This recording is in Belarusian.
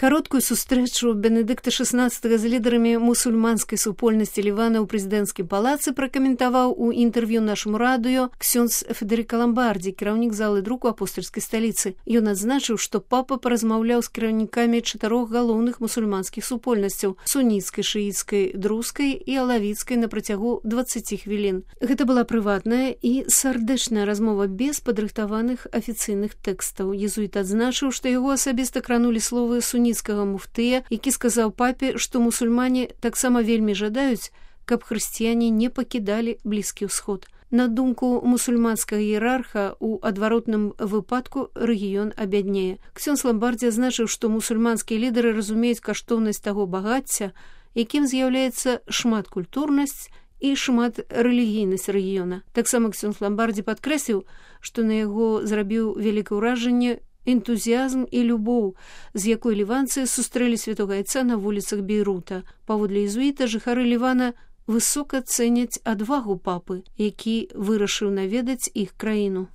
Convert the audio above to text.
Кароткую сустрэчу Бенедыкта XVI з лідарамі мусульманскай супольнасці Лівана ў прэзідэнцкім палацы пракаментаваў у інтэрв'ю нашаму радыё ксёндз Федэрыка Ламбардзі, кіраўнік залы друку апостальскай сталіцы. Ён адзначыў, што папа паразмаўляў з кіраўнікамі 4 галоўных мусульманскіх супольнасцяў – суніцкай, шыіцкай, друзкай і алавіцкай на працягу 20 хвілін. Гэта была прыватная і сардэчная размова без падрыхтаваных афіцыйных тэкстаў. Езуіт адзначыў, што яго асабіста кранулі словы суніцкага муфтыя, які сказаў папе, што мусульмане таксама вельмі жадаюць, каб хрысціяне не пакідалі Блізкі ўсход. На думку мусульманскага іерарха, у адваротным выпадку рэгіён абяднее. Ксёндз Ламбардзі азначыў, што мусульманскія лідары разумеюць каштоўнасць таго багацця, якім з'яўляецца шматкультурнасць і шматрэлігійнасць рэгіёна. Таксама ксёндз Ламбардзі падкрэсліў, што на яго зрабіў вялікае ўражанне энтузіязм і любоў, з якой ліванцы сустрэлі святога айца на вуліцах Бейрута. Паводле езуіта, жыхары Лівана высока цэняць адвагу папы, які вырашыў наведаць іх краіну.